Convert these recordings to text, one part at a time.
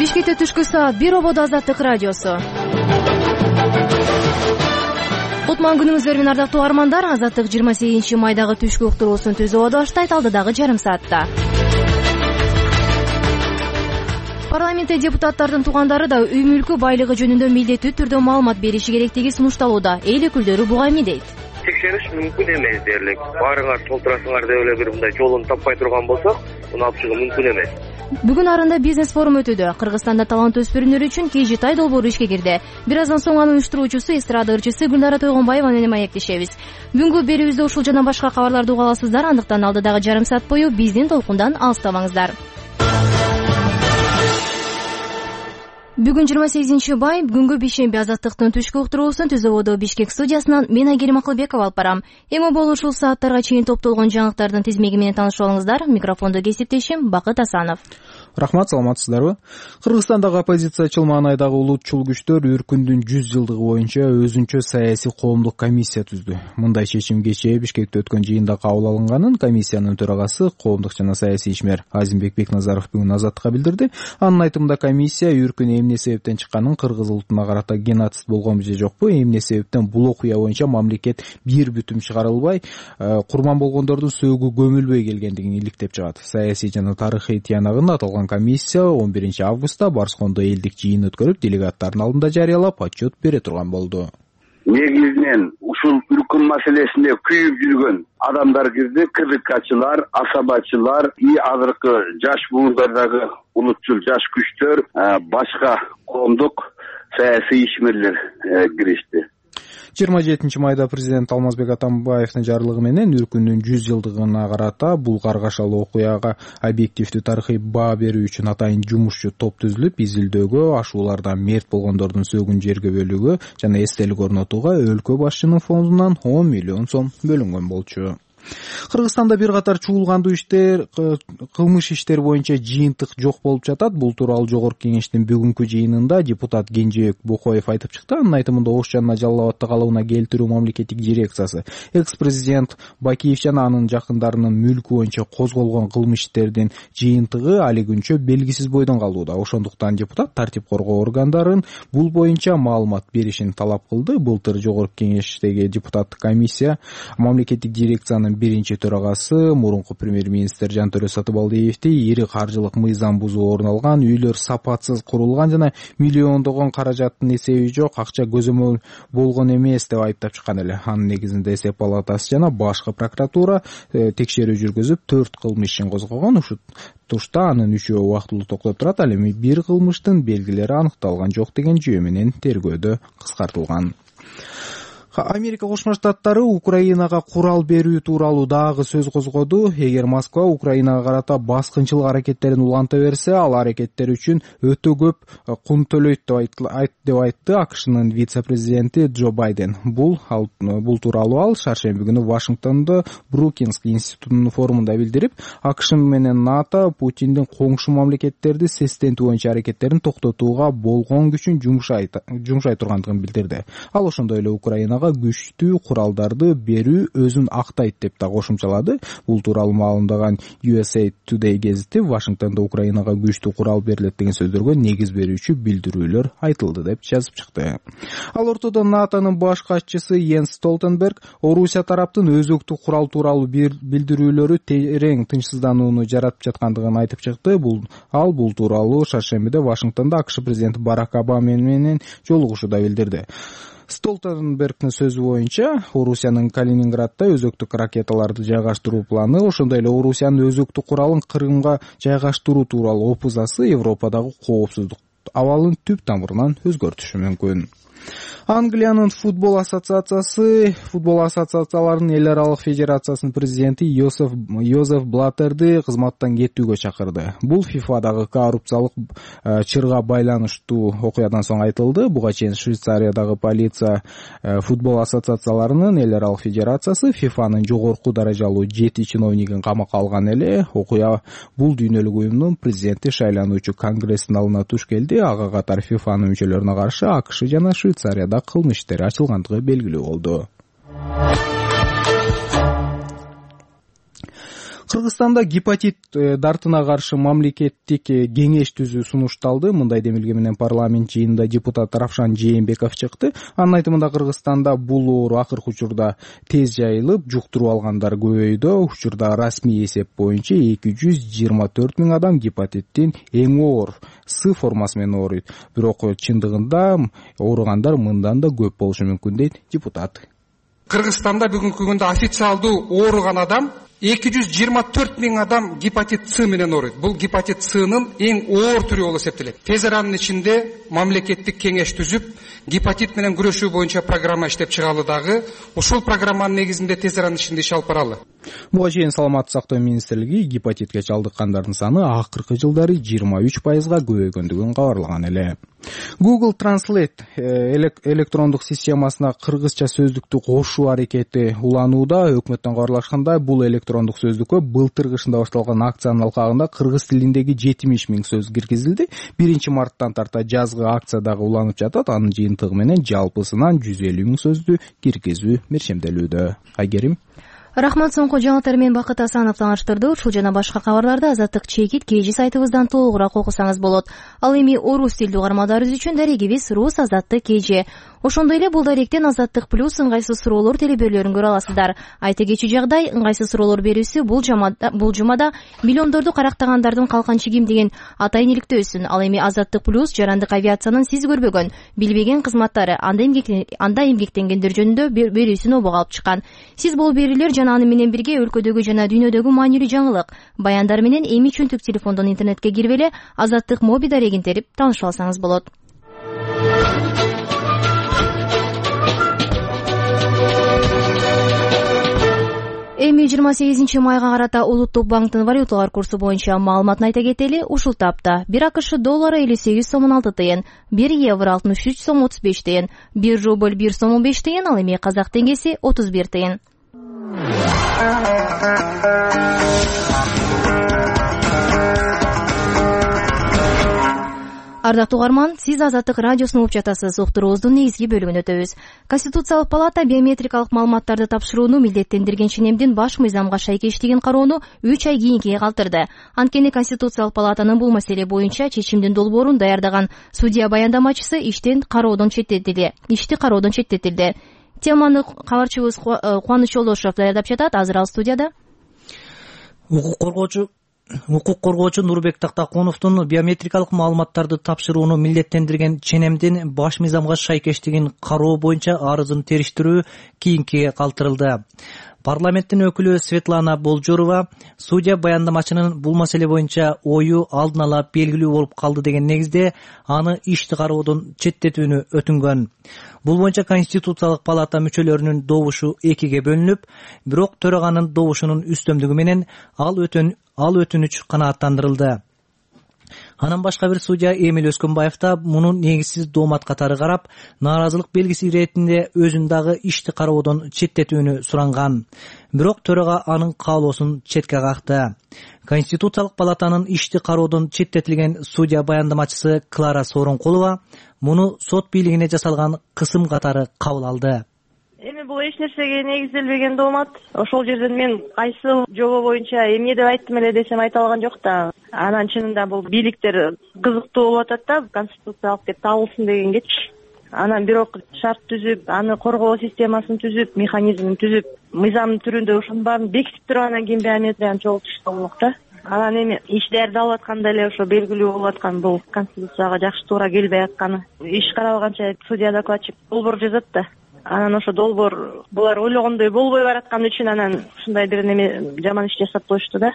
Бишкекте түшкү саат 1 ободо Азаттык радиосу. Кутман күнүңүздөр менен ардактуу армандар. Азаттык 28 майдагы түшкү уктуруусун түзүп баштайт алдыдагы жарым саатта. Парламентте депутаттардын туугандары да үй мүлкү байлыгы жөнүндө милдеттүү түрдө маалымат бериши керектиги сунушталууда. Эл өкүлдөрү буга эмне дейт? Текшериш мүмкүн эмес дерлик. Баарыңар толтурасыңар деп эле бир мындай жолун таппай турган болсок, муну алып чыгуу мүмкүн эмес. Бүгүн арында бизнес форум өтүүдө. Кыргызстанда талант өспүрүмдөр үчүн KGTay долбоору ишке кирди. Бир аздан соң анын уюштуруучусу эстрада ырчысы Гүлнара Тойгонбаева менен маектешебиз. Бүгүнкү берүүбүздө ушул жана башка кабарларды уга аласыздар. Андыктан алдыдагы жарым саат бою биздин толкундан алыстабаңыздар. Бүгүн 28 май, бүгүнкү бейшемби Азаттыктын түшкү уктуруусун түз ободо Бишкек студиясынан мен Айгерим Акылбекова алып барам. Эми болуу ушул сааттарга чейин топтолгон жаңылыктардын тизмеги менен таанышып алыңыздар. Микрофондо кесиптешим Бакыт Асанов. Рахмат, саламатсыздарбы? Кыргызстандагы оппозициячыл маанайдагы улутчул күчтөр Үркүндүн 100 жылдыгы боюнча өзүнчө саясий коомдук комиссия түздү. Мындай чечим кечээ Бишкекте өткөн жыйында кабыл алынганын комиссиянын төрагасы, коомдук жана саясий ишмер Азимбек Бекназаров бүгүн Азаттыкка билдирди. Анын айтымында комиссия Үркүн эмне себептен чыкканын, кыргыз улутуна карата геноцид болгонбу же жокпу, эмне себептен бул окуя боюнча мамлекет бир бүтүм чыгарылбай, курман болгондордун сөөгү көмүлбөй келгендигин иликтеп чыгат. Саясий жана тарыхый тиянагында аталган комиссия 11 августта Барскондо элдик жыйын өткөрүп, делегаттардын алдында жарыялап отчет бере турган болду. Негизинен ушул Үркүн маселесинде күйүп жүргөн адамдар кирди, КДКчылар, асабачылар, азыркы жаш буындардагы улутчул жаш күчтөр, башка коомдук саясий ишмерлер киришти. 27 майда президент Алмазбек Атамбаевдин жарлыгы менен Үркүндүн 100 жылдыгына карата бул каргашалуу окуяга объективдүү тарыхый баа берүү үчүн атайын жумушчу топ түзүлүп, изилдөөгө, ашуулардан мерт болгондордун сөөгүн жерге бөлүүгө жана эстелик орнотууга өлкө башчынын фондунан 10 миллион сом бөлүнгөн болчу. Кыргызстанда бир катар чуулгандуу иштер, кылмыш иштери боюнча жыйынтык жок болуп жатат. Бул тууралуу Жогорку Кеңештин бүгүнкү жыйынында депутат Кенжебек Бокоев айтып чыкты. Анын айтымында Ош жана Жалал Абадты калыбына келтирүү мамлекеттик дирекциясы, экс-президент Бакиев жана анын жакындарынын мүлкү боюнча козголгон кылмыш иштердин жыйынтыгы али күнчө белгисиз бойдон калууда. Ошондуктан депутат тартип коргоо органдарын бул боюнча маалымат беришин талап кылды. Былтыр Жогорку Кеңештеги депутаттык комиссия мамлекеттик дирекциянын биринчи төрагасы, мурунку премьер-министр Жантөрө Сатыбалдиевди ири каржылык мыйзам бузуу орун алган, үйлөр сапатсыз курулган жана миллиондогон каражаттын эсеби жок, акча көзөмөл болгон эмес деп айыптап чыккан эле. Анын негизинде эсеп палатасы жана башкы прокуратура текшерүү жүргүзүп 4 кылмыш ишин козгогон. Ушул тушта анын 3-өө убактылуу токтоп турат. Ал эми бир кылмыштын белгилери аныкталган жок деген жүйө менен тергөөдө кыскартылган. Америка Кошмо Штаттары Украинага курал берүү тууралуу дагы сөз козгоду. Эгер Москва Украинага карата баскынчылык аракеттерин уланта берсе, ал аракеттер үчүн өтө көп кун төлөйт деп айтты АКШнын вице-президенти Джо Байден. Бул тууралуу ал шаршемби күнү Вашингтондо Брукинс институтунун форумунда билдирип, АКШ менен НАТО Путиндин коңшу мамлекеттерди сестентүү боюнча аракеттерин токтотууга болгон күчүн жумшай тургандыгын билдирди. Ал ошондой эле Украинага күчтүү куралдарды берүү өзүн актайт деп да кошумчалады. Бул тууралуу маалымдаган USA Today гезити Вашингтондо Украинага күчтүү курал берилет деген сөздөргө негиз берүүчү билдирүүлөр айтылды деп жазып чыкты. Ал ортодо НАТОнун баш катчысы Йенс Столтенберг Орусия тараптын өзөктүк курал тууралуу билдирүүлөрү терең тынчсызданууну жаратып жаткандыгын айтып чыкты. Бул тууралуу шаршембиде Вашингтондо АКШ президенти Барак Обама менен жолугушууда билдирди. Столтенбергдин сөзү боюнча, Орусиянын Калининградда өзөктүк ракеталарды жайгаштыруу планы, ошондой эле Орусиянын өзөктүк куралын Крымга жайгаштыруу тууралуу опузасы Европадагы коопсуздук абалын түп тамырынан өзгөртүшү мүмкүн. Англиянын футбол ассоциацияларынын эл аралык федерациясынын президенти Йозеф Блаттерди кызматтан кетүүгө чакырды. Бул ФИФАдагы коррупциялык чырга байланыштуу окуядан соң айтылды. Буга чейин Швейцариядагы полиция футбол ассоциацияларынын эл аралык федерациясы ФИФАнын жогорку даражалуу 7 чиновнигин камакка алган эле. Окуя бул дүйнөлүк уюмдун президенти шайлануучу Конгресстин алдына туш келди. Ага катар ФИФАнын мүчөлөрүнө каршы АКШ жана Швейцарияда кылмыш иштери ачылгандыгы белгилүү болду. Кыргызстанда гепатит дартына каршы мамлекеттик кеңеш түзүү сунушталды. Мындай демилге менен парламент жыйынында депутат Равшан Жээнбеков чыкты. Анын айтымында Кыргызстанда бул оору акыркы учурда тез жайылып, жуктуруп алгандар көбөйдү. Учурда расмий эсеп боюнча 224 000 адам гепатиттин эң оор С формасы менен ооруйт. Бирок чындыгында ооругандар мындан да көп болушу мүмкүн дейт депутат. Кыргызстанда бүгүнкү күндө официалдуу ооруган адам 224 000 адам гепатит С менен ооруйт. Бул гепатит S'нын эң оор түрү болуп эсептелет. Тез аранын ичинде мамлекеттик кеңеш түзүп, гепатит менен күрөшүү боюнча программа иштеп чыгалы дагы. Ушул программанын негизинде тез аранын ичинде иш алып баралы. Буга чейин Саламаттык сактоо министрлиги гепатитке чалдыккандардын саны акыркы жылдары 23% көбөйгөндүгүн кабарлаган эле. Google Translate электрондук системасына кыргызча сөздүктү кошуу аракети уланууда. Өкмөттөн кабарлашкандай, бул электрондук сөздүккө былтыр кышында башталган акциянын алкагында кыргыз тилиндеги 70 000 сөз киргизилди. 1 марттан тарта жазгы акция дагы уланып жатат. Анын жыйынтыгы менен жалпысынан 150 000 сөздү киргизүү мерчемделүүдө. Айгерим. Рахмат, соңку жаңылыктар менен Бакыт Асанов тааныштырды. Ушул жана башка кабарларды Азаттык чекит KG сайтыбыздан толугураак окусаңыз болот. Ал эми орус тилдүү угармандарыбыз үчүн дарегибиз Рус Азаттык KG. Ошондой эле бул даректен Азаттык плюс ыңгайсыз суроолор телеберлөрүн көрө аласыздар. Айта кетчү жагдай, ыңгайсыз суроолор берүүсү бул жумада миллиондорду карактагандардын калканчы ким деген атайын иликтөөсүн. Ал эми Азаттык плюс жарандык авиациянын сиз көрбөгөн, билбеген кызматтары, анда эмгектенгендер жөнүндө берүүсүн обого алып чыккан. Сиз бул берүүлөр жана аны менен бирге өлкөдөгү жана дүйнөдөгү маанилүү жаңылык, баяндар менен эми чөнтүк телефондон интернетке кирип эле Азаттык моби дарегин терип таанышып алсаңыз болот. Эми 28 майга карата Улуттук банктын валюталар курсу боюнча маалыматын айта кетели. Ушул тапта 1 АКШ доллары 58 сомун 6 тыйын, 1 евро 63 сом 35 тыйын, 1 рубль 1 сом 5 тыйын, ал эми казак теңгеси 31 тыйын. Ардактуу угарман, сиз Азаттык радиосун угуп жатасыз. Уктуруубуздун негизги бөлүгүн өтөбүз. Конституциялык палата биометрикалык маалыматтарды тапшырууну милдеттендирген ченемдин баш мыйзамга шайкештигин кароону 3 ай кийинкиге калтырды. Анткени Конституциялык палатанын бул маселе боюнча чечимдин долбоорун даярдаган судья баяндамачысы ишти кароодон четтетилди. Теманы кабарчыбыз Кубаныч Жолдошов даярдап жатат. Азыр ал студияда. Укук коргоочу Нурбек Тактакуновдун биометрикалык маалыматтарды тапшырууну милдеттендирген ченемдин баш мыйзамга шайкештигин кароо боюнча арызын териштирүү кийинкиге калтырылды. Парламенттин өкүлү Светлана Болжорова судья баяндамачынын бул маселе боюнча ою алдын ала белгилүү болуп калды деген негизде аны ишти кароодон четтетүүнү өтүнгөн. Бул боюнча Конституциялык палата мүчөлөрүнүн добушу экиге бөлүнүп, бирок төраганын добушунун үстөмдүгү менен ал өтүнүч канааттандырылды. Анан башка бир судья Эмил Өскөнбаев да муну негизсиз доомат катары карап, нааразылык белгиси иретинде өзүн дагы ишти кароодон четтетүүнү суранган. Бирок төрага анын каалоосун четке какты. Конституциялык палатанын ишти кароодон четтетилген судья баяндамачысы Клара Сооронкулова муну сот бийлигине жасалган кысым катары кабыл алды. Эми бул эч нерсеге негизделбеген доомат. Ошол жерден мен кайсы жобо боюнча эмне деп айттым эле десем айта алган жок да. Анан чынында бул бийликтер кызыктуу болуп атат да, конституциялык деп табылсын дегенгечи. Анан бирок шарт түзүп, аны коргоо системасын түзүп, механизмин түзүп, мыйзамдын түрүндө ошонун баарын бекитип туруп анан кийин биометрияны чогултушса болмок да. Анан эми иш даярдалып атканда эле ошо белгилүү болуп аткан бул конституцияга жакшы туура келбей атканы. Иш каралганча судья докладчик долбоор жазат да. Анан ошо долбоор булар ойлогондой болбой бараткан үчүн анан ушундай бир неме жаман иш жасап коюшту да.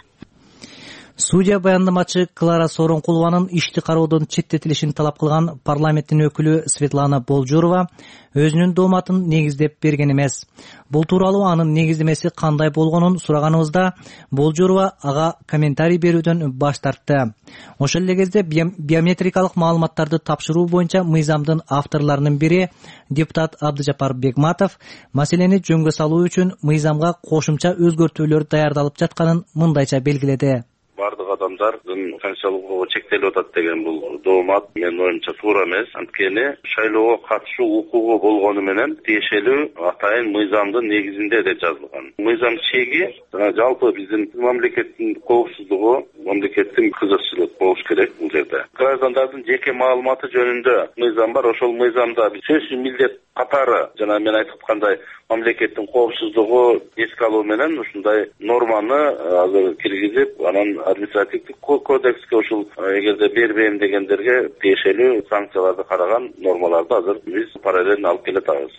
Судья баяндамачы Клара Сооронкулованын ишти кароодон четтетилишин талап кылган парламенттин өкүлү Светлана Болжорова өзүнүн дооматын негиздеп берген эмес. Бул тууралуу анын негиздемеси кандай болгонун сураганыбызда Болжорова ага комментарий берүүдөн баш тартты. Ошол эле кезде биометрикалык маалыматтарды тапшыруу боюнча мыйзамдын авторлорунун бири депутат Абдыжапар Бегматов маселени жөнгө салуу үчүн мыйзамга кошумча өзгөртүүлөр даярдалып жатканын мындайча белгиледи. бардык адамдардын конституциялык укугу чектелип атат деген бул доомат менин оюмча туура эмес. Анткени шайлоого катышуу укугу болгону менен тиешелүү атайын мыйзамдын негизинде деп жазылган. Мыйзам чеги жалпы биздин мамлекеттин коопсуздугу, мамлекеттин кызыкчылык болуш керек бул жерде. Граждандардын жеке маалыматы жөнүндө мыйзам бар. Ошол мыйзамда сөзсүз милдет катары жана мен айтып аткандай мамлекеттин коопсуздугу эске алуу менен ушундай норманы азыр киргизип, анан административдик кодекске ушул эгерде бербейм дегендерге тиешелүү санкцияларды караган нормаларды азыр биз параллельно алып келатабыз.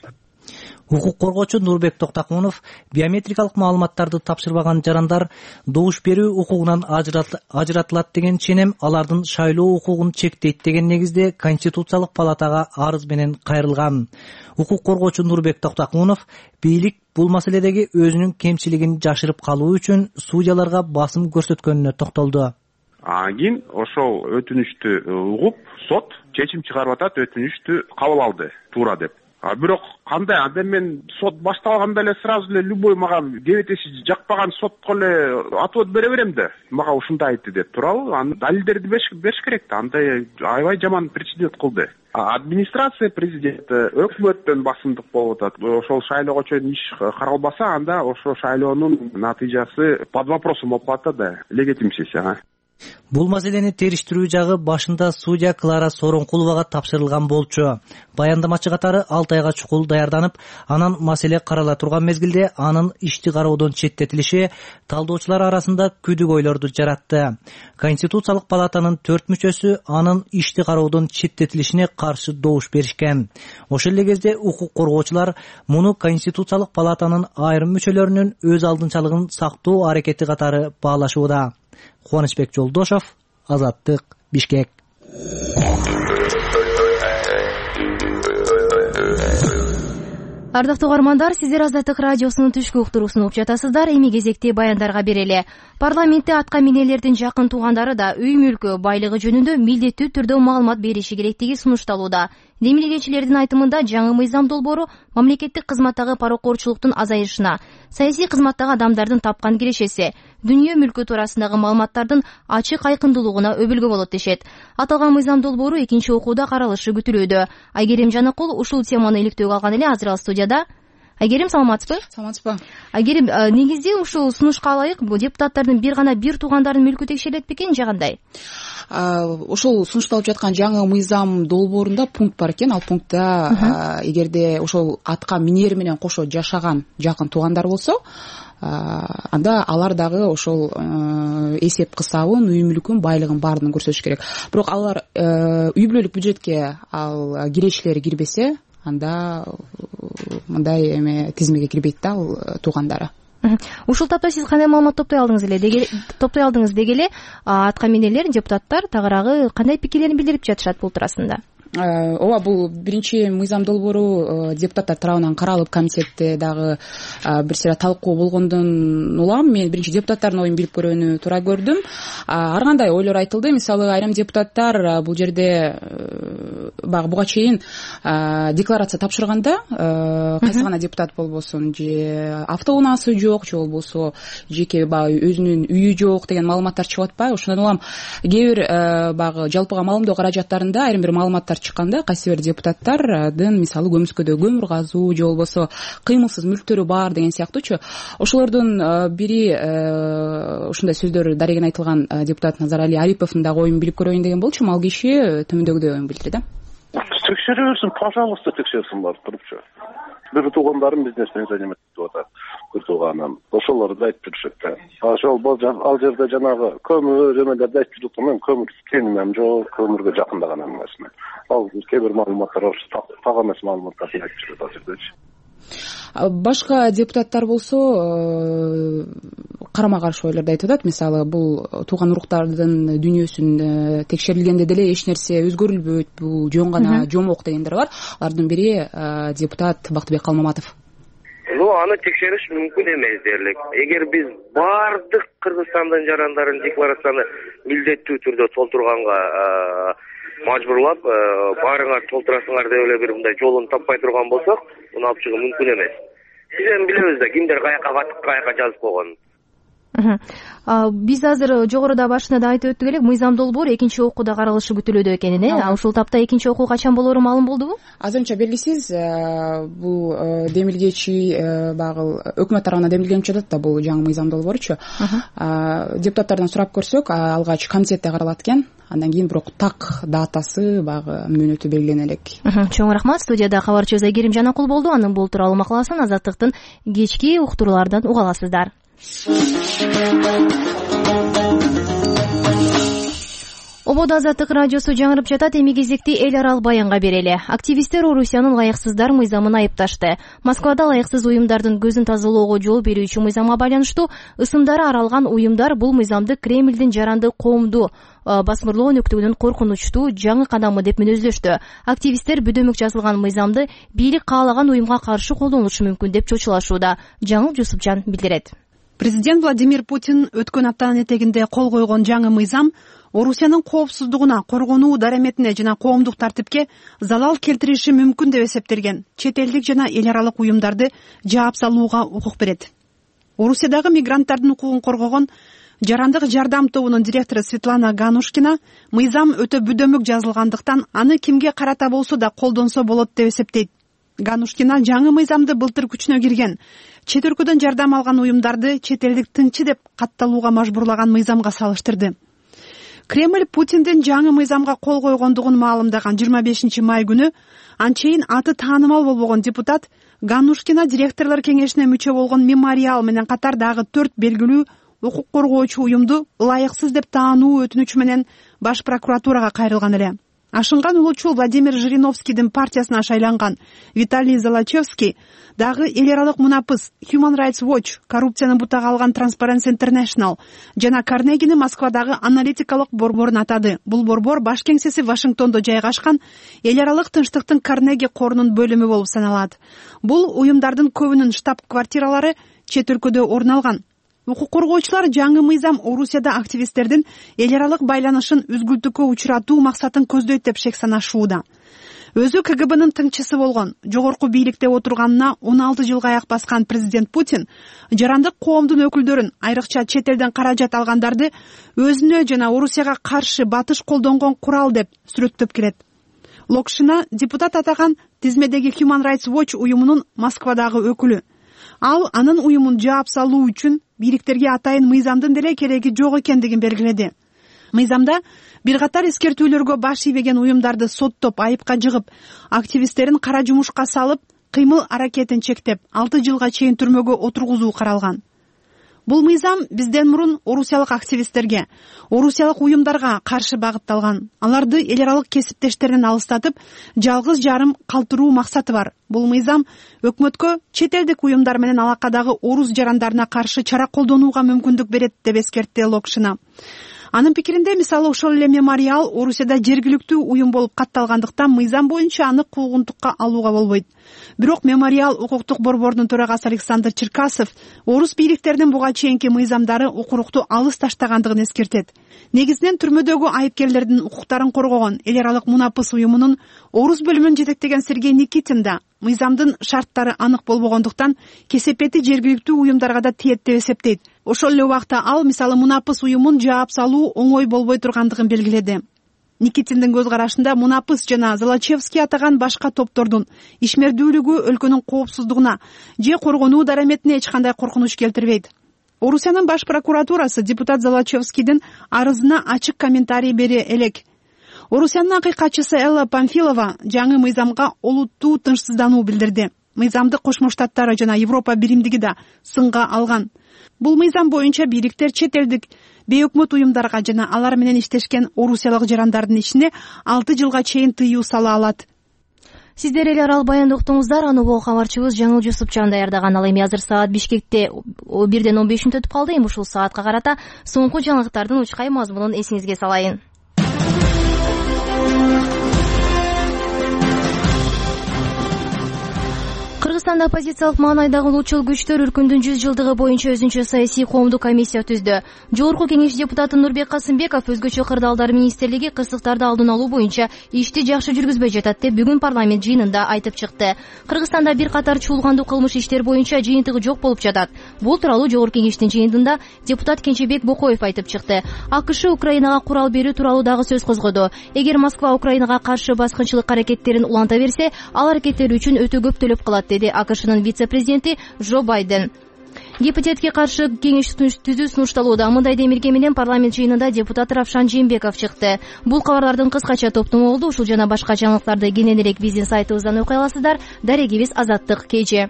Укук коргоочу Нурбек Токтокунов биометрикалык маалыматтарды тапшырбаган жарандар добуш берүү укугунан ажыратылат деген ченем алардын шайлоо укугун чектейт деген негизде Конституциялык палатага арыз менен кайрылган. Укук коргоочу Нурбек Токтокунов бийлик бул маселедеги өзүнүн кемчилигин жашырып калуу үчүн судьяларга басым көрсөткөнүнө токтолду. Кийин ошол өтүнүштү угуп, сот чечим чыгарып атат, өтүнүштү кабыл алды, туура деп. Бирок кандай анда мен сот башталганда эле сразу эле любой мага кебетеси жакпаган сотко эле отвод бере берем да. Мага ушундай айтты деп туурабы? Аны далилдерди бериш керек да. Андай аябай жаман прецедент кылды. Администрация президенти өкмөттөн басымдык болуп атат. Ошол шайлоого чейин иш каралбаса, анда ошол шайлоонун натыйжасы под вопросом болуп калат да, легитимсиз. Бул маселени териштирүү жагы башында судья Клара Соронкуловага тапшырылган болчу. Баяндамачы катары 6 айга чукул даярданып, анан маселе карала турган мезгилде анын ишти кароодон четтетилиши талдоочулар арасында күдүк ойлорду жаратты. Конституциялык палатанын 4 мүчөсү анын ишти кароодон четтетилишине каршы добуш беришкен. Ошол эле кезде укук коргоочулар муну Конституциялык палатанын айрым мүчөлөрүнүн өз алдынчалыгын сактоо аракети катары баалашууда. Кубанычбек Жолдошов, Азаттык, Бишкек. Ардактуу угармандар, сиздер Азаттык радиосунун түшкү уктуруусун угуп жатасыздар. Эми кезекти баяндарга берели. Парламентте атка минелердин жакын туугандары да үй мүлкү, байлыгы жөнүндө милдеттүү түрдө маалымат бериши керектиги сунушталууда. Демилгечилердин айтымында жаңы мыйзам долбоору мамлекеттик кызматтагы паракорчулуктун азайышына, саясий кызматтагы адамдардын тапкан кирешеси, дүнүйө мүлкү туурасындагы маалыматтардын ачык айкындуулугуна өбөлгө болот дешет. Аталган мыйзам долбоору экинчи окууда каралышы күтүлүүдө. Айгерим Жанакул ушул теманы иликтөөгө алган эле. Азыр ал студияда. Айгерим, саламатсызбы? Саламатсызбы. Айгерим, негизде ушул сунушка ылайык депутаттардын бир туугандардын мүлкү текшерилет бекен же кандай? Ошол сунушталып жаткан жаңы мыйзам долбоорунда пункт бар экен. Ал пунктта эгерде ошол атка минери менен кошо жашаган жакын туугандар болсо, анда алар дагы ошол эсеп кысабын, үй мүлкүн, байлыгын баардыгын көрсөтүш керек. Бирок алар үй бүлөлүк бюджетке ал кирешелери кирбесе, анда мындай эме тизмеге кирбейт да ал туугандары. Ушул тапта сиз кандай маалымат топтой алдыңыз деги эле атка минелер, депутаттар тагыраагы кандай пикирлерин билдирип жатышат бул туурасында? Ооба, бул биринчи мыйзам долбоору депутаттар тарабынан каралып, комитетте дагы бир сыйра талкуу болгондон улам мен биринчи депутаттардын оюн билип көрүүнү туура көрдүм. Ар кандай ойлор айтылды. Мисалы, айрым депутаттар бул жерде багы буга чейин декларация тапшырганда, кайсы гана депутат болбосун, же автоунаасы жок, же болбосо жеке багы өзүнүн үйү жок деген маалыматтар чыгып атпайбы? Ошондон улам кээ бир багы жалпыга маалымдоо каражаттарында айрым бир маалыматтар чыкканда, кайсы бир депутаттардын мисалы көмүскөдө көмүр казуу же болбосо кыймылсыз мүлктөрү бар деген сыяктуучу, ошолордун бири ушундай сөздөр дареген айтылган депутат Назарали Ариповдун дагы оюн билип көрөйүн деген болчу. Ал киши төмөндөгүдөй оюн билдирди да. Текшере берсин, пожалуйста, текшерсин барып турупчу. Бир туугандарым бизнес менен заниматься этип атат. Бир тууганым. Ошолорду айтып жүрүшөт да. Ошол ал жерде жанагы көмүр эмелерди айтып жүрүп мен көмүр теңимем жок, көмүргө жакындаган эмесмин. Ал кээ бир маалыматтар так эмес маалыматтарды айтып жүрөт ал жердечи. Башка депутаттар болсо карама каршы ойлорду айтып атат. Мисалы, бул тууган уруктардын дүнүйөсүн текшерилгенде деле эч нерсе өзгөрүлбөйт, бул жөн гана жомок дегендер бар. Алардын бири депутат Бактыбек Калмаматов. Аны текшериш мүмкүн эмес дерлик. Эгер биз бардык Кыргызстандын жарандарын декларацияны милдеттүү түрдө толтурганга мажбурлап, баарыңар толтурасыңар деп эле бир мындай жолун таппай турган болсок, муну алып чыгуу мүмкүн эмес. Биз эми билебиз да кимдер каяка жазып койгонун. Биз азыр жогоруда башында да айтып өттүк элек, мыйзам долбоор экинчи окууда каралышы күтүлүүдө экенин, ушул тапта экинчи окуу качан болоору маалым болдубу? Азырынча белгисиз. Бул демилгечи багыл өкмөт тарабынан демилгенип жатат да бул жаңы мыйзам долбооручу. Депутаттардан сурап көрсөк, алгач комитетте каралат экен. Андан кийин бирок так датасы багы мөөнөтү белгилene элек. Чоң рахмат. Студияда кабарчыбыз Айгерим Жанакул болду. Анын бул тууралуу макаласын Азаттыктын кечки уктурууларынан уга аласыздар. Ободо Азаттык радиосу жаңырып жатат. Эми кезекти эл аралык баянга берели. Активисттер Орусиянын ылайыксыздар мыйзамын айыпташты. Москвада ылайыксыз уюмдардын көзүн тазалоого жол берүүчү мыйзамга байланыштуу ысымдары аралган уюмдар бул мыйзамды Кремлдин жаранды коомду басмырлоо өнөктүгүнүн коркунучтуу жаңы кадамы деп мүнөздөштү. Активисттер бүдөмөк жазылган мыйзамды бийлик каалаган уюмга каршы колдонулушу мүмкүн деп чочулашууда. Жаңыл Жусупжан билдирет. Президент Владимир Путин өткөн аптанын этегинде кол койгон жаңы мыйзам Орусиянын коопсуздугуна, коргонуу дараметине жана коомдук тартипке залал келтириши мүмкүн деп эсептелген чет элдик жана эл аралык уюмдарды жаап салууга укук берет. Орусиядагы мигранттардын укугун коргогон Жарандык жардам тобунун директору Светлана Ганушкина мыйзам өтө бүдөмөк жазылгандыктан аны кимге карата болсо да колдонсо болот деп эсептейт. Ганушкина жаңы мыйзамды былтыр күчүнө кирген чет өлкөдөн жардам алган уюмдарды чет элдик тыңчы деп катталууга мажбурлаган мыйзамга салыштырды. Кремль Путиндин жаңы мыйзамга кол койгондугун маалымдаган 25 май күнү анчейин аты таанымал болбогон депутат Ганушкина директорлор кеңешине мүчө болгон Мемориал менен катар дагы 4 белгилүү укук коргоочу уюмду ылайыксыз деп таануу өтүнүчү менен баш прокуратурага кайрылган эле. Ашынган улуучул Владимир Жириновскийдин партиясына шайланган Виталий Золочевский дагы эл аралык мунапыс Human Rights Watch, коррупцияны бутага алган Transparency International жана Карнегини Москвадагы аналитикалык борборун атады. Бул борбор баш кеңсеси Вашингтондо жайгашкан эл аралык тынчтыктын Карнеги корунун бөлүмү болуп саналат. Бул уюмдардын көбүнүн штаб-квартиралары чет өлкөдө орун алган. Укук коргоочулар жаңы мыйзам Орусияда активисттердин эл аралык байланышын үзгүлтүккө учуратуу максатын көздөйт деп шек санашууда. Өзү КГБнын тыңчысы болгон, жогорку бийликте отурганына 16 жылга аяк баскан президент Путин жарандык коомдун өкүлдөрүн, айрыкча чет элден каражат алгандарды өзүнө жана Орусияга каршы батыш колдонгон курал деп сүрөттөп келет. Локшина депутат атаган тизмедеги Human Rights Watch уюмунун Москвадагы өкүлү. Ал анын уюмун жаап салуу үчүн бийликтерге атайын мыйзамдын деле кереги жок экендигин белгиледи. Мыйзамда бир катар эскертүүлөргө баш ийбеген уюмдарды соттоп, айыпка жыгып, активисттерин кара жумушка салып, кыймыл аракетин чектеп, 6 жылга чейин түрмөгө отургузуу каралган. Бул мыйзам бизден мурун орусиялык активисттерге, орусиялык уюмдарга каршы багытталган. Аларды эл аралык кесиптештеринен алыстатып, жалгыз жарым калтыруу максаты бар. Бул мыйзам өкмөткө чет элдик уюмдар менен алакадагы орус жарандарына каршы чара колдонууга мүмкүндүк берет деп эскертти Локшина. Анын пикиринде, мисалы, ошол эле Мемориал Орусияда жергиликтүү уюм болуп катталгандыктан мыйзам боюнча аны куугунтукка алууга болбойт. Бирок Мемориал укуктук борбордун төрагасы Александр Черкасов орус бийликтеринин буга чейинки мыйзамдары укурукту алыс таштагандыгын эскертет. Негизинен түрмөдөгү айыпкерлердин укуктарын коргогон эл аралык мунапыс уюмунун орус бөлүмүн жетектеген Сергей Никитин да мыйзамдын шарттары анык болбогондуктан кесепети жергиликтүү уюмдарга да тиет деп эсептейт. Ошол эле убакта ал, мисалы, мунапыс уюмун жаап салуу оңой болбой тургандыгын белгиледи. Никитиндин көз карашында мунапыс жана Золочевский атаган башка топтордун ишмердүүлүгү өлкөнүн коопсуздугуна же коргонуу дараметине эч кандай коркунуч келтирбейт. Орусиянын баш прокуратурасы депутат Золочевскийдин арызына ачык комментарий бере элек. Орусиянын акыйкатчысы Элла Памфилова жаңы мыйзамга олуттуу тынчсыздануу билдирди. Мыйзамды Кошмо Штаттар жана Европа биримдиги да сынга алган. Бул мыйзам боюнча бийликтер чет элдик бейөкмөт уюмдарга жана алар менен иштешкен орусиялык жарандардын ишине 6 жылга чейин тыюу сала алат. Сиздер эл аралык баянды уктуңуздар. Аны кабарчыбыз Жаңыл Жусупчан даярдаган. Ал эми азыр саат Бишкекте 1:15 өтүп калды. Эми ушул саатка карата соңку жаңылыктардын учкай мазмунун эсиңизге салайын. Кыргызстанда оппозициялык маанайдагы улутчул күчтөр үркүндүн 100 жылдыгы боюнча өзүнчө саясий коомдук комиссия түздү. Жогорку кеңеш депутаты Нурбек Касымбеков өзгөчө кырдаалдар министрлиги кырсыктарды алдын алуу боюнча ишти жакшы жүргүзбөй жатат деп бүгүн парламент жыйынында айтып чыкты. Кыргызстанда бир катар чуулгандуу кылмыш иштер боюнча жыйынтыгы жок болуп жатат. Бул тууралуу жогорку кеңештин жыйынында депутат Кенчебек Бокоев айтып чыкты. АКШ Украинага курал берүү тууралуу дагы сөз козгоду. Эгер Москва Украинага каршы баскынчылык аракеттерин уланта берсе, ал аракеттер үчүн өтө көп төлөп калат, деди АКШнын вице-президенти Джо Байден. Гепатитке каршы кеңеш түзүү сунушталууда. Мындай демилге менен парламент жыйынында депутат Равшан Жээнбеков чыкты. Бул кабарлардын кыскача топтому болду. Ушул жана башка жаңылыктарды кененирээк биздин сайтыбыздан окуй аласыздар. Дарегибиз Азаттык KG.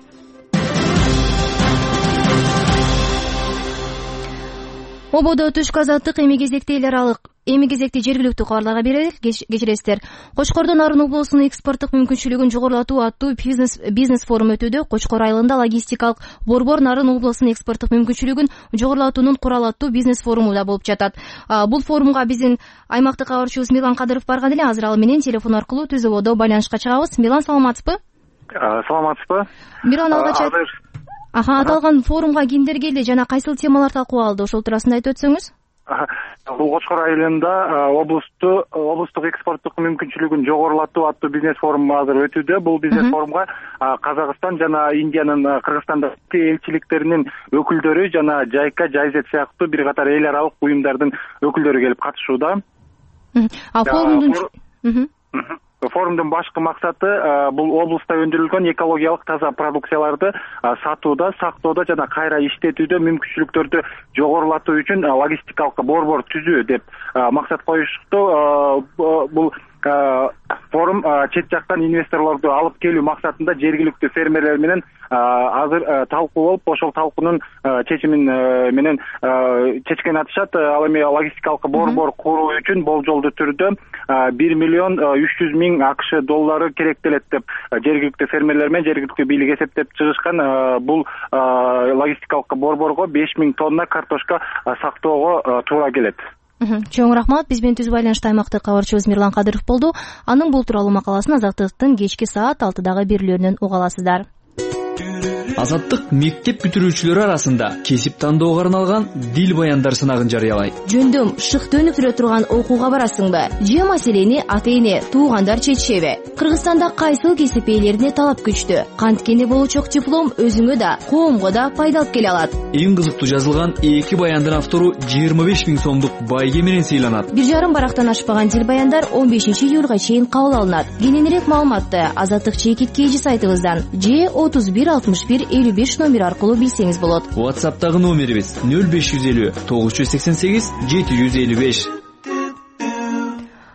Ободо түшкү азаттык эми кезекте жергиликтүү кабарларга берели. Кечиресиздер. Кочкордун Нарын облусунун экспорттук мүмкүнчүлүгүн жогорулатуу аттуу бизнес форум өтүүдө. Кочкор айылында логистикалык борбор Нарын облусунун экспорттук мүмкүнчүлүгүн жогорулатуунун курал аттуу бизнес форуму да болуп жатат. Бул форумга биздин аймактык кабарчыбыз Милан Кадыров барган эле. Азыр ал менен телефон аркылуу түз ободо байланышка чыгабыз. Милан, саламатсызбы? Саламатсызбы. Милан, аталган форумга кимдер келди жана кайсыл темалар талкууланды, ошол туурасында айтып өтсөңүз. Бул Кочкор айылында облустук экспорттук мүмкүнчүлүгүн жогорулатуу аттуу бизнес форуму азыр өтүүдө. Бул бизнес форумга Казакстан жана Индиянын Кыргызстандагы элчиликтеринин өкүлдөрү жана Жайка, Жайзет сыяктуу бир катар эл аралык уюмдардын өкүлдөрү келип катышууда. Форумдун башкы максаты бул облуста өндүрүлгөн экологиялык таза продукцияларды сатууда, сактоодо жана кайра иштетүүдө мүмкүнчүлүктөрдү жогорулатуу үчүн логистикалык борбор түзүү деп максат коюшту. Бул форум чет жактан инвесторлорду алып келүү максатында жергиликтүү фермерлер менен азыр талкуу болуп, ошол талкуунун чечимин менен чечкен атышат. Ал эми логистикалык борбор куруу үчүн болжолдуу түрдө 1 миллион 300 миң АКШ доллары керектелет деп жергиликтүү фермерлер менен жергиликтүү бийлик эсептеп чыгышкан. Бул логистикалык борборго 5 миң тонна картошка сактоого туура келет. Чоң рахмат. Биз менен түз байланышта аймактык кабарчыбыз Мирлан Кадыров болду. Анын бул тууралуу макаласын Азаттыктын кечки саат 6-дагы берүүлөрүнөн уга аласыздар. Азаттык мектеп бүтүрүүчүлөрү арасында кесип тандоого арналган дил баяндар сынагын жарыялайт. Жөндөм шыкты өнүктүрө турган окууга барасыңбы? Же маселени ата-эне, туугандар чечишеби? Кыргызстанда кайсыл кесип ээлерине талап күчтүү? Канткени болочок диплом өзүңө да, коомго да пайда алып келе алат. Эң кызыктуу жазылган 2 баяндын автору 25 миң сомдук байге менен сыйланат. 1,5 барактан ашпаган дил баяндар 15 июлга чейин кабыл алынат. Кененирээк маалыматты Азаттык чекит KG сайтыбыздан же 31 55 номер аркылуу билсеңиз болот. WhatsApp'тагы номерибиз 0550 988 755.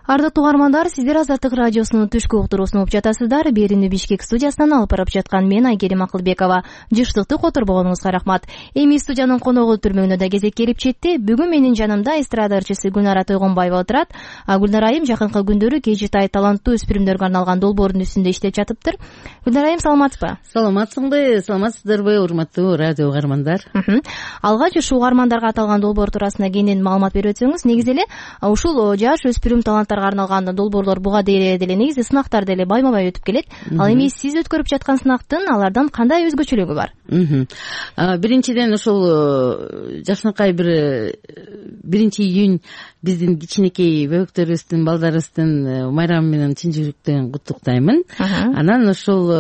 Ардактуу угармандар, сиздер Азаттык радиосунун түшкү уктуруусун угуп жатасыздар. Берүүнү Бишкек студиясынан алып барып жаткан мен Айгерим Акылбекова. Жыштыкты которбогонуңузга рахмат. Эми студиянын коногу түрмөгүнө да кезек келип жетти. Бүгүн менин жанымда эстрада ырчысы Гүлнара Тойгонбаева отурат. Гүлнара айым жакынкы күндөрү KG таланттуу өспүрүмдөргө арналган долбоордун үстүндө иштеп жатыптыр. Гүлнара айым, саламатсызбы? Саламатсыздарбы, урматтуу радио угармандар? Алгач ушул угармандарга аталган долбоор туурасында кенен маалымат берип өтсөңүз. Негизи эле ушул жаш өспүрүм таланттар арналган долбоорлор буга дейин деле негизи сынактар деле байма-бай өтүп келет. Ал эми сиз өткөрүп жаткан сынактын алардан кандай өзгөчөлүгү бар? Биринчиден ушул жакшынакай бир 1-июнь биздин кичинекей бөбөктөрүбүздүн, балдарыбыздын майрамы менен чын жүрөктөн куттуктаймын. Анан ушул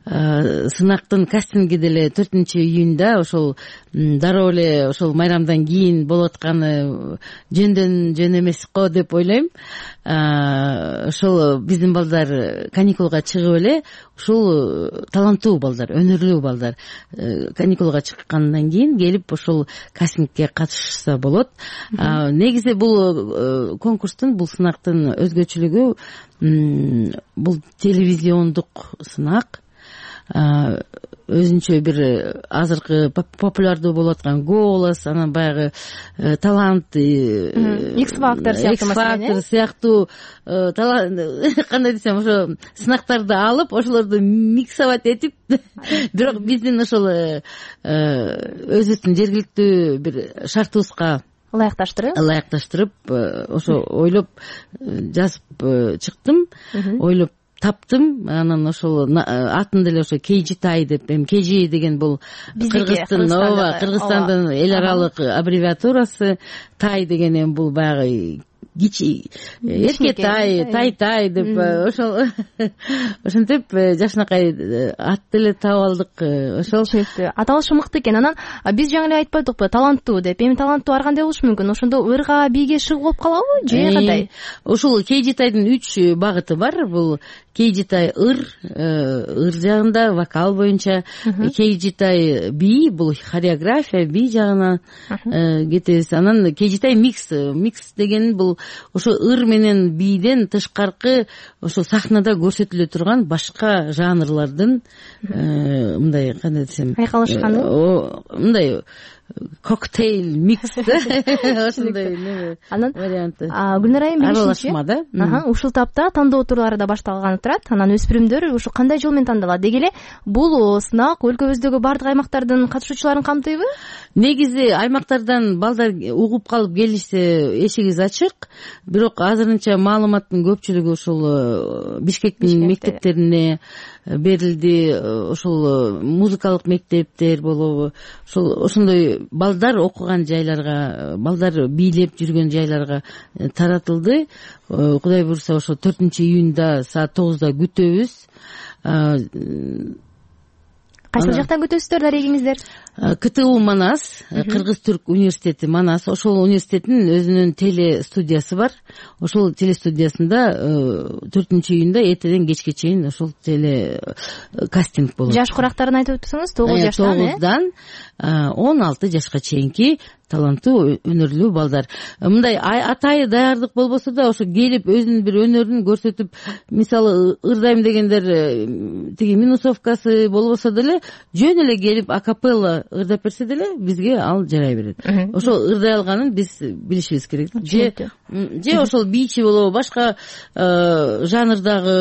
сынактын кастинги деле 4-июньда ошол дароо эле ошол майрамдан кийин болуп атканы жөн эмес го деп ойлойм. Ошол биздин балдар каникулга чыгып эле ушул таланттуу балдар, өнөрлүү балдар каникулга чыккандан кийин келип ошол кастингке катышса болот. Негизи бул конкурстун, бул сынактын өзгөчөлүгү бул телевизиондук сынак. Өзүнчө бир азыркы популярдуу болуп аткан голос, анан баягы талант, X-Factor сыяктуу кандай десем, ошо сынактарды алып, ошолорду миксовать этип, бирок биздин ошол өзүбүздүн жергиликтүү бир шартыбызга ылайыкташтырып ошо ойлоп жазып чыктым. Ойлоп таптым. Анан ошол атын деле ошо Кейжитай деп, эми Кейжи деген бул Кыргызстандын эл аралык аббревиатурасы. Тай деген эми бул баягы Эркетай, Тай деп ошол ошентип жакшынакай ат деле таап алдык. Ошол аталышы мыкты экен. Анан биз жаңы эле айтпадыкпы, таланттуу деп. Эми таланттуу ар кандай болушу мүмкүн? Ошондо ырга, бийге шыгуу болуп калабы же кандай? Ушул Кейжитайдын 3 багыты бар. Бул Кейжитай ыр жагында вокал боюнча, Кейжитай бий, бул хореография, бий жагына кетебиз. Анан Кейжитай микс деген бул ошо ыр менен бийден тышкаркы ошо сахнада көрсөтүлө турган башка жанрлардын мындай кандай десем, айкалышканы, мындай коктейл микс ошондой варианты. Гүлнар айым, аралашма да. Ушул тапта тандоо турлары да башталганы турат. Анан өспүрүмдөр ушу кандай жол менен тандалат? Деги эле бул сынак өлкөбүздөгү бардык аймактардын катышуучуларын камтыйбы? Негизи аймактардан балдар угуп калып келишсе эшигибиз ачык. Бирок азырынча маалыматтын көпчүлүгү ушул Бишкектин мектептерине берилди. Ошол музыкалык мектептер болобу, ошондой балдар окуган жайларга, балдар бийлеп жүргөн жайларга таратылды. Кудай буюрса ошо 4-июнда саат 9-да күтөбүз. Кайсы жактан күтөсүздөр дарегиңиздер? КТУ Манас, Кыргыз-Түрк университети Манас. Ошол университеттин өзүнүн теле студиясы бар. Ошол теле студиясында 4-июнда эртеден кечке чейин ошол теле кастинг болот. Жаш курактарын айтып өтсөңүз, 9 жаштан 9дан 16 жашка чейинки таланттуу өнөрлүү балдар. Мындай атайы даярдык болбосо да ошо келип өзүнүн бир өнөрүн көрсөтүп, мисалы ырдайм дегендер тиги минусовкасы болбосо деле жөн эле келип акапелла ырдап берсе деле бизге ал жарай берет. Ошол ырдай алганын биз билишибиз керек. Же ошол бийчи болобу, башка жанрдагы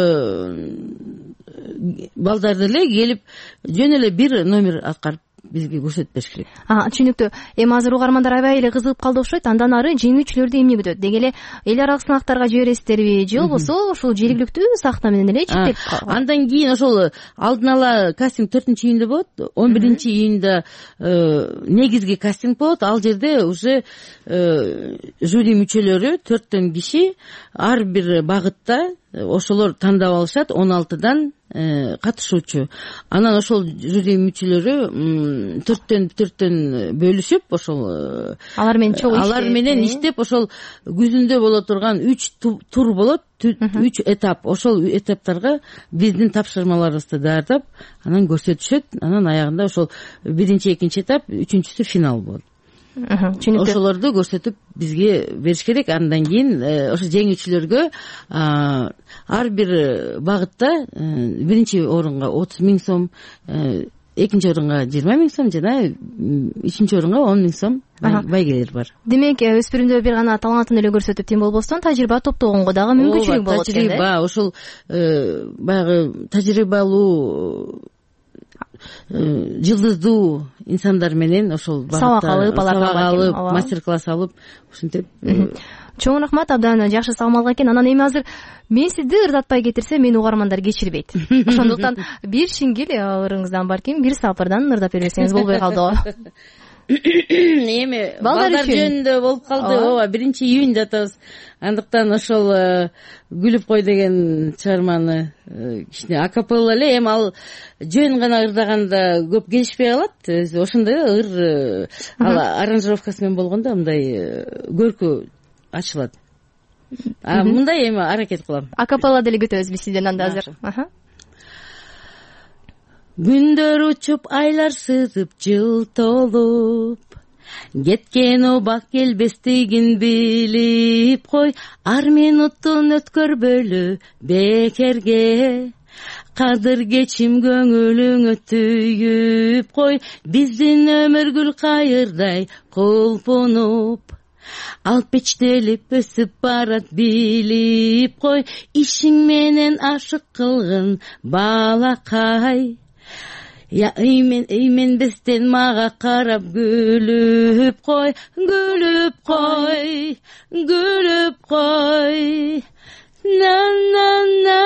балдар деле келип жөн эле бир номер аткарып бизге көрсөтүп бериш керек. Түшүнүктүү. Эми азыр угармандар аябай эле кызыгып калды окшойт. Андан ары жеңүүчүлөрдү эмне күтөт? Деги эле эл аралык сынактарга жибересиздерби же болбосо ушул жергиликтүү сахна менен эле чектелип калат? Андан кийин ошол алдын ала кастинг 4-июнда болот. 11-июнда негизги кастинг болот. Ал жерде уже жюри мүчөлөрү 4 киши ар бир багытта ошолор тандап алышат, 16дан катышуучу. Анан ошол жюри мүчөлөрү 4төн бөлүшүп, ошол алар менен иштеп, ошол күзүндө боло турган 3 тур болот, 3 этап. Ошол этаптарга биздин тапшырмаларыбызды даярдап, анан көрсөтүшөт. Анан аягында ошол 1-2 этап, 3-сү финал болот. Ошолорду көрсөтүп бизге бериш керек. Андан кийин ошо жеңүүчүлөргө ар бир багытта 1 орунга 30 000 сом, 2 орунга 20 000 сом жана 3 орунга 10 000 сом байгелер бар. Демек, өспүрүмдөр бир гана талантын эле көрсөтүп тем болбостон тажрыйба топтогонго дагы мүмкүнчүлүк болот экен. Тажрыйба, ошол баягы тажрыйбалуу жылдыздуу инсандар менен ошол сабак алып, мастер-класс алып, ушинтип. Чоң рахмат, абдан жакшы салмалган экен. Анан эми азыр мен сизди ырдатпай кетирсем, мени угармандар кечирбейт. Ошондуктан бир шиңгил ырыңыздан барким, бир сапырдан ырдап берсеңиз болбой калдыбы? Эми балдар жөнүндө болуп калды. Ооба, 1-июнда атабыз. Андыктан ошол күлүп кой деген чыгарманы кичине акапелла эле, эми ал жөн гана ырдаганда көп келишпей калат. Ошондой ыр аранжировкасы менен болгондо мындай көркү ачылат. Мындай эми аракет кылам. Акапелла деле күтөбүз биз сизден анда азыр. Күндөр учуп, айлар сызып, жыл толуп, кеткен убак келбестигин билип кой, ар минуттун өткөрбөлү бекерге, кадыр кечим көңүлүңө түйүп кой, биздин өмүр гүл кайырдай кулпунуп, ал печтелип өсүп барат билип кой, ишиң менен ашык кылгын балакай. Үйменбестен мага карап күлүп кой, күлүп кой, күлүп кой. На на на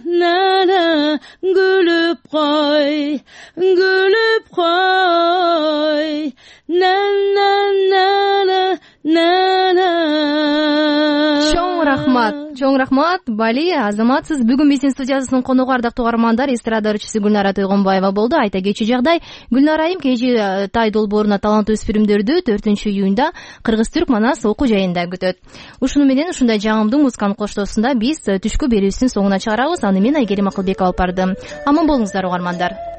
на чоң рахмат Бали Азамат. Сиз бүгүн биздин студиябыздын коногу ардактуу угармандар эстрада ырчысы Гүлнара Тойгонбаева болду. Айта кетчү жагдай, Гүлнара айым KG Тай долбооруна таланттуу өспүрүмдөрдү 4-июнда Кыргыз-Түрк Манас окуу жайында күтөт. Ушуну менен ушундай жагымдуу музыканын коштоосунда биз түшкү берүүбүздүн соңуна чыгарабыз. Аны мен Айгерим Акылбекова алып бардым. Аман болуңуздар угармандар.